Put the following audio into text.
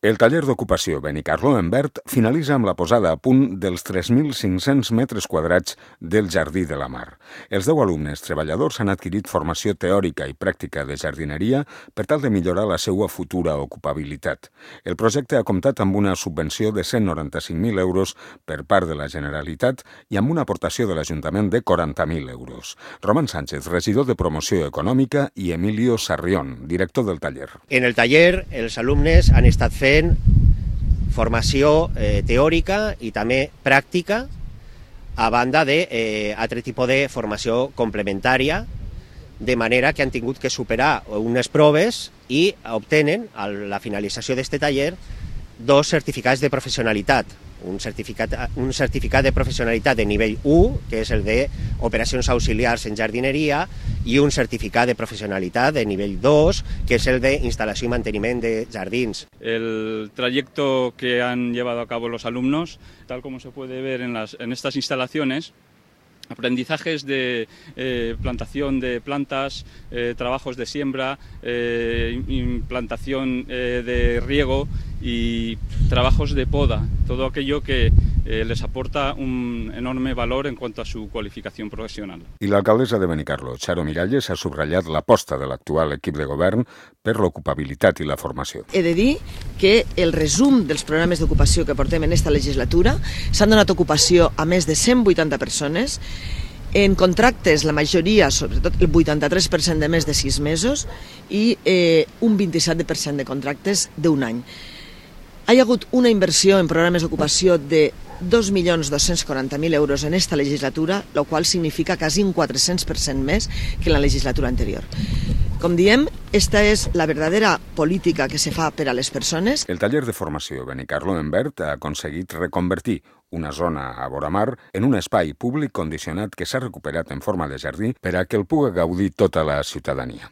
El taller d'ocupació Benicarló en Verd finalitza amb la posada a punt dels 3.500 metres quadrats del Jardí de la Mar. Els 10 alumnes treballadors han adquirit formació teòrica i pràctica de jardineria per tal de millorar la seva futura ocupabilitat. El projecte ha comptat amb una subvenció de 195.000 euros per part de la Generalitat i amb una aportació de l'Ajuntament de 40.000 euros. Roman Sánchez, regidor de Promoció Econòmica, i Emilio Sarrión, director del taller. En el taller els alumnes han estat fent formació teòrica i també pràctica, a banda d'altre tipus de formació complementària, de manera que han tingut que superar unes proves i obtenen, a la finalització d'aquest taller, 2 certificats de professionalitat. Un certificat de professionalitat de nivell 1, que és el d'operacions auxiliars en jardineria, y un certificado de profesionalidad de nivel 2, que es el de instalación y mantenimiento de jardins. El trayecto que han llevado a cabo los alumnos, tal como se puede ver en estas instalaciones, aprendizajes de plantación de plantas, trabajos de siembra, implantación de riego y trabajos de poda, todo aquello que les aporta un enorme valor en cuanto a su qualificación profesional. I l'alcaldessa de Benicarló, Charo Miralles, ha subratllat l'aposta de l'actual equip de govern per l'ocupabilitat i la formació. He de dir que el resum dels programes d'ocupació que portem en esta legislatura s'han donat ocupació a més de 180 persones, en contractes la majoria, sobretot el 83% de més de 6 mesos i un 27% de contractes d'un any. Hi ha hagut una inversió en programes d'ocupació de 2.240.000 euros en esta legislatura, el qual significa quasi un 400% més que en la legislatura anterior. Com diem, esta és la verdadera política que se fa per a les persones. El taller de formació Benicarló en Verd ha aconseguit reconvertir una zona a voramar en un espai públic condicionat que s'ha recuperat en forma de jardí per a que el pugui gaudir tota la ciutadania.